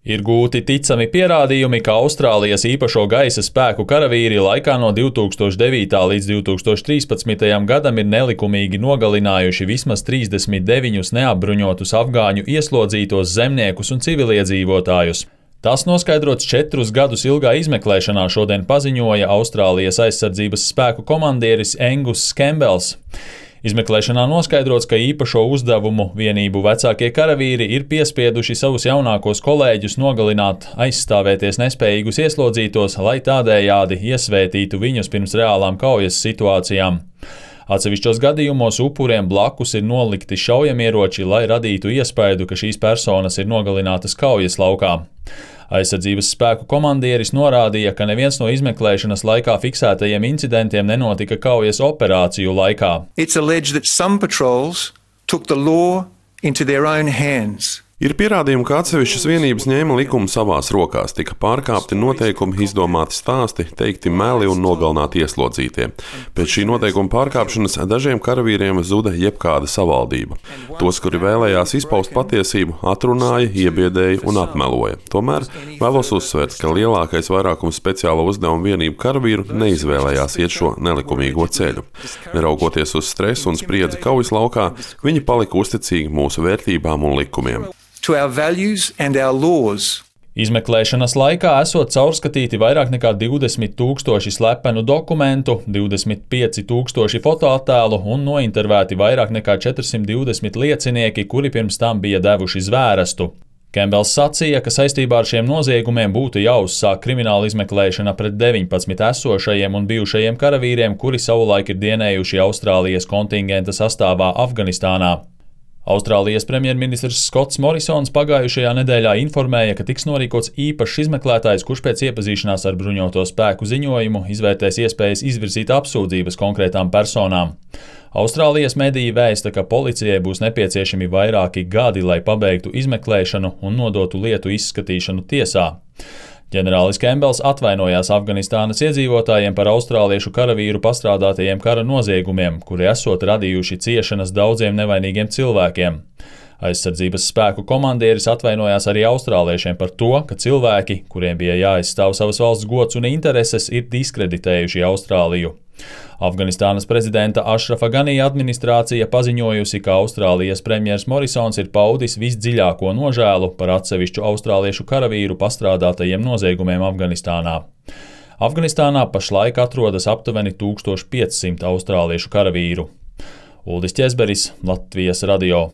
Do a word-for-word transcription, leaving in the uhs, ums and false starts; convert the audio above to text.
Ir gūti ticami pierādījumi, ka Austrālijas īpašo gaisa spēku karavīri laikā no divi tūkstoši devītā līdz divi tūkstoši trīspadsmitajam gadam ir nelikumīgi nogalinājuši vismaz trīsdesmit deviņus neapbruņotus afgāņu ieslodzītos zemniekus un civiliedzīvotājus. Tas noskaidrots četrus gadus ilgā izmeklēšanā šodien paziņoja Austrālijas aizsardzības spēku komandieris Angus Campbells. Izmeklēšanā noskaidrots, ka īpašo uzdevumu vienību vecākie karavīri ir piespieduši savus jaunākos kolēģus nogalināt aizstāvēties nespējīgus ieslodzītos, lai tādējādi iesvētītu viņus pirms reālām kaujas situācijām. Atsevišķos gadījumos upuriem blakus ir nolikti šaujamieroči, lai radītu iespaidu, ka šīs personas ir nogalinātas kaujas laukā. Aizsardzības spēku komandieris norādīja, ka neviens no izmeklēšanas laikā fiksētajiem incidentiem nenotika kaujas operāciju laikā. It's alleged that some patrols took the law into their own hands. Ir pierādījumi, ka atsevišķas vienības ņēma likumu savās rokās, tika pārkāpti noteikumi, izdomāti stāsti, teikti meli un nogalināti ieslodzītie. Pēc šī noteikuma pārkāpšanas dažiem karavīriem zuda jebkāda savaldība. Tos, kuri vēlējās izpaust patiesību, atrunāja, iebiedēja un apmeloja. Tomēr vēlos uzsvērt, ka lielākais vairākums speciālo uzdevumu vienību karavīru neizvēlējās iet šo nelikumīgo ceļu. Neraugoties uz stresu un spriedzi kaujas laukā, viņi palika uzticīgi mūsu vērtībām un likumiem. To our values and our laws. Izmeklēšanas laikā esot caurskatīti vairāk nekā divdesmit tūkstoši slepenu dokumentu, divdesmit pieci tūkstoši fotoattēlu un nointervēti vairāk nekā četrsimt divdesmit liecinieki, kuri pirms tam bija devuši zvērestu. Campbells sacīja, ka saistībā ar šiem noziegumiem būtu jāuzsāk krimināla izmeklēšana pret deviņpadsmit esošajiem un bijušajiem karavīriem, kuri savulaik ir dienējuši Austrālijas kontingenta sastāvā Afganistānā. Austrālijas premjerministrs Skots Morisons pagājušajā nedēļā informēja, ka tiks norīkots īpašs izmeklētājs, kurš pēc iepazīšanās ar bruņoto spēku ziņojumu izvērtēs iespējas izvirzīt apsūdzības konkrētām personām. Austrālijas mediji vēsta, ka policijai būs nepieciešami vairāki gadi, lai pabeigtu izmeklēšanu un nodotu lietu izskatīšanu tiesā. Ģenerālis Campbells atvainojās Afganistānas iedzīvotājiem par austrāliešu karavīru pastrādātajiem kara noziegumiem, kuri esot radījuši ciešanas daudziem nevainīgiem cilvēkiem. Aizsardzības spēku komandieris atvainojās arī austrāliešiem par to, ka cilvēki, kuriem bija jāaizstāv savas valsts gods un intereses, ir diskreditējuši Austrāliju. Afganistānas prezidenta Ašrafa Ganī administrācija paziņojusi, ka Austrālijas premjers Morisons ir paudis visdziļāko nožēlu par atsevišķu austrāliešu karavīru pastrādātajiem noziegumiem Afganistānā. Afganistānā pašlaik atrodas aptuveni tūkstoš piecsimt austrāliešu karavīru. Uldis Ķezberis, Latvijas radio.